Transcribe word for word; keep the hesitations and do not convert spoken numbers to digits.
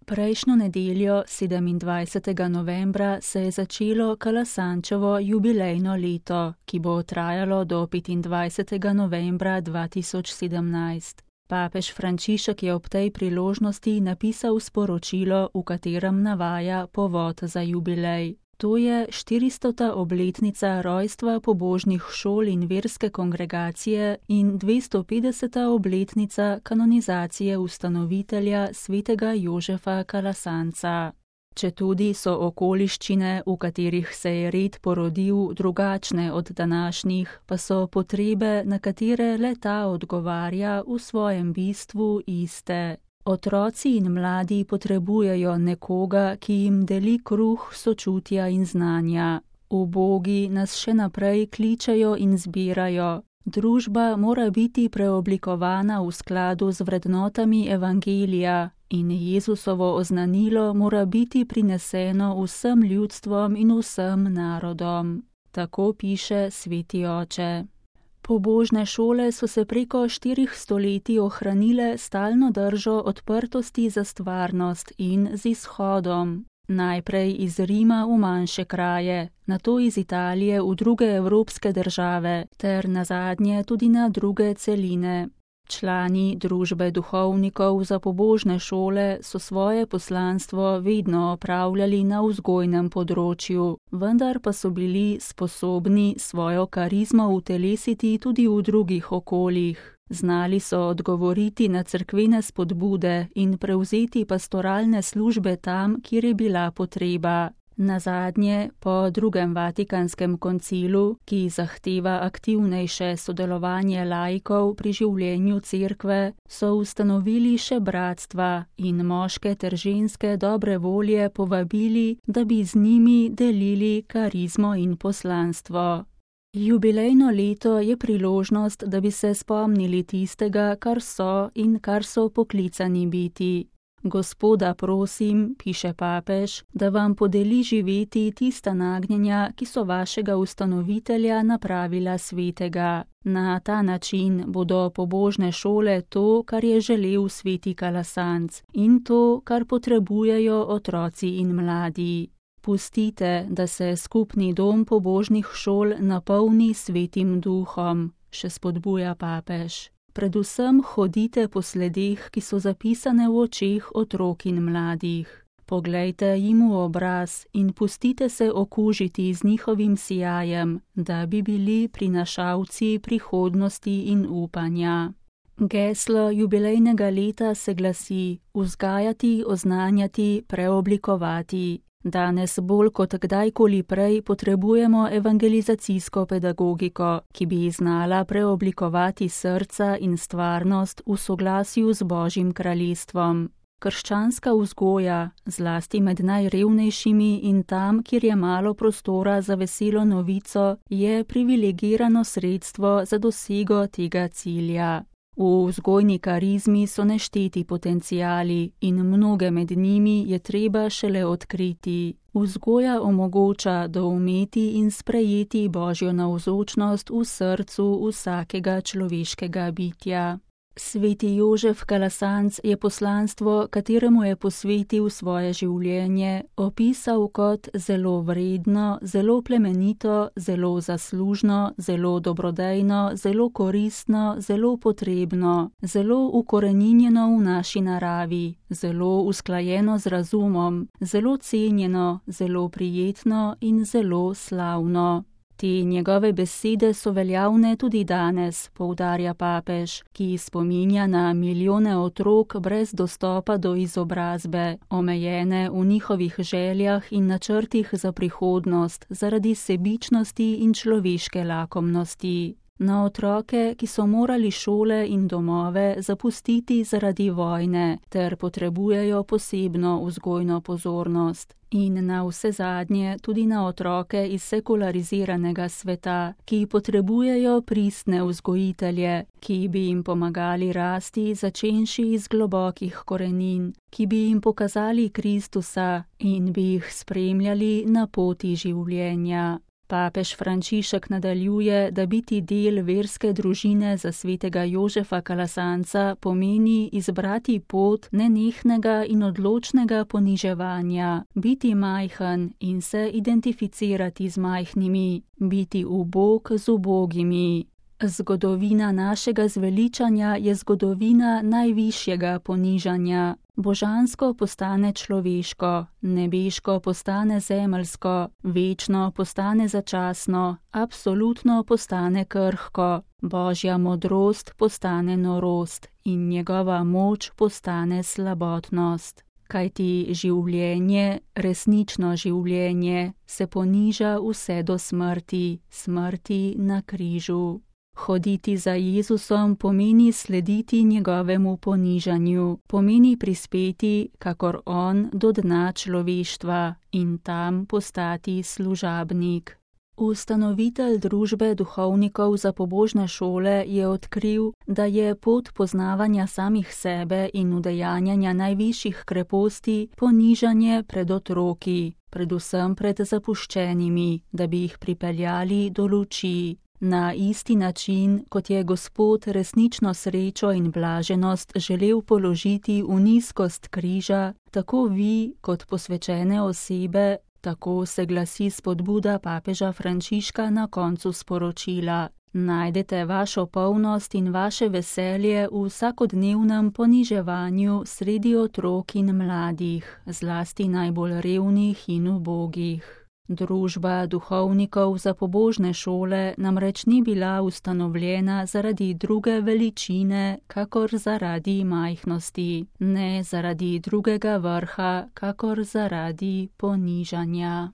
Prejšnjo nedeljo, sedemindvajsetega novembra, se je začelo Kalasančevo jubilejno leto, ki bo trajalo do petindvajsetega novembra dva tisoč sedemnajst. Papež Frančišek je ob tej priložnosti napisal sporočilo, v katerem navaja povod za jubilej. To je štiristota obletnica rojstva pobožnih šol in verske kongregacije in dvestopetdeseta obletnica kanonizacije ustanovitelja svetega Jožefa Kalasanca. Četudi so okoliščine, v katerih se je red porodil, drugačne od današnjih, pa so potrebe, na katere le ta odgovarja, v svojem bistvu iste. Otroci in mladi potrebujejo nekoga, ki jim deli kruh sočutja in znanja. Ubogi nas še naprej kličejo in zbirajo. Družba mora biti preoblikovana v skladu z vrednotami evangelija in Jezusovo oznanilo mora biti prineseno vsem ljudstvom in vsem narodom. Tako piše sveti oče. Pobožne šole so se preko štirih stoletij ohranile stalno držo odprtosti za stvarnost in z izhodom. Najprej iz Rima v manjše kraje, nato iz Italije v druge evropske države, ter nazadnje tudi na druge celine. Člani družbe duhovnikov za pobožne šole so svoje poslanstvo vedno opravljali na vzgojnem področju, vendar pa so bili sposobni svojo karizmo utelesiti tudi v drugih okoljih. Znali so odgovoriti na cerkvene spodbude in prevzeti pastoralne službe tam, kjer je bila potreba. Nazadnje, po drugem Vatikanskem koncilu, ki zahteva aktivnejše sodelovanje laikov pri življenju cerkve, so ustanovili še bratstva in moške ter ženske dobre volje povabili, da bi z njimi delili karizmo in poslanstvo. Jubilejno leto je priložnost, da bi se spomnili tistega, kar so in kar so poklicani biti. Gospoda prosim, piše papež, da vam podeli živeti tista nagnjenja, ki so vašega ustanovitelja napravila svetega. Na ta način bodo pobožne šole to, kar je želel sveti Kalasanc, in to, kar potrebujejo otroci in mladi. Pustite, da se skupni dom pobožnih šol napolni svetim duhom, še spodbuja papež. Predvsem hodite po sledeh, ki so zapisane v očeh otrok in mladih. Poglejte jim v obraz in pustite se okužiti z njihovim sijajem, da bi bili prinašalci prihodnosti in upanja. Geslo jubilejnega leta se glasi: vzgajati, oznanjati, preoblikovati. Danes bolj kot kdajkoli prej potrebujemo evangelizacijsko pedagogiko, ki bi znala preoblikovati srca in stvarnost v soglasju z Božjim kraljestvom. Krščanska vzgoja, zlasti med najrevnejšimi in tam, kjer je malo prostora za veselo novico, je privilegirano sredstvo za dosego tega cilja. V vzgojni karizmi so nešteti potenciali in mnoge med njimi je treba šele odkriti. Vzgoja omogoča doumeti in sprejeti Božjo navzočnost v srcu vsakega človeškega bitja. Sveti Jožef Kalasanc je poslanstvo, kateremu je posvetil svoje življenje, opisal kot zelo vredno, zelo plemenito, zelo zaslužno, zelo dobrodejno, zelo koristno, zelo potrebno, zelo ukoreninjeno v naši naravi, zelo usklajeno z razumom, zelo cenjeno, zelo prijetno in zelo slavno. Te njegove besede so veljavne tudi danes, poudarja papež, ki spominja na milijone otrok brez dostopa do izobrazbe, omejene v njihovih željah in načrtih za prihodnost zaradi sebičnosti in človeške lakomnosti. Na otroke, ki so morali šole in domove zapustiti zaradi vojne ter potrebujejo posebno vzgojno pozornost. In na vse zadnje tudi na otroke iz sekulariziranega sveta, ki potrebujejo pristne vzgojitelje, ki bi jim pomagali rasti začenši iz globokih korenin, ki bi jim pokazali Kristusa in bi jih spremljali na poti življenja. Papež Frančišek nadaljuje, da biti del verske družine za svetega Jožefa Kalasanca pomeni izbrati pot nenehnega in odločnega poniževanja, biti majhen in se identificirati z majhnimi, biti ubog z ubogimi. Zgodovina našega zveličanja je zgodovina najvišjega ponižanja. Božansko postane človeško, nebeško postane zemeljsko, večno postane začasno, absolutno postane krhko, Božja modrost postane norost in njegova moč postane slabotnost. Kajti življenje, resnično življenje, se poniža vse do smrti, smrti na križu. Hoditi za Jezusom pomeni slediti njegovemu ponižanju, pomeni prispeti, kakor on, do dna človeštva in tam postati služabnik. Ustanovitelj družbe duhovnikov za pobožne šole je odkril, da je pot poznavanja samih sebe in udejanjanja najvišjih kreposti ponižanje pred otroki, predvsem pred zapuščenimi, da bi jih pripeljali do luči. Na isti način, kot je Gospod resnično srečo in blaženost želel položiti v nizkost križa, tako vi, kot posvečene osebe, tako se glasi spodbuda papeža Frančiška na koncu sporočila. Najdete vašo polnost in vaše veselje v vsakodnevnem poniževanju sredi otrok in mladih, zlasti najbolj revnih in ubogih. Družba duhovnikov za pobožne šole namreč ni bila ustanovljena zaradi druge veličine, kakor zaradi majhnosti, ne zaradi drugega vrha, kakor zaradi ponižanja.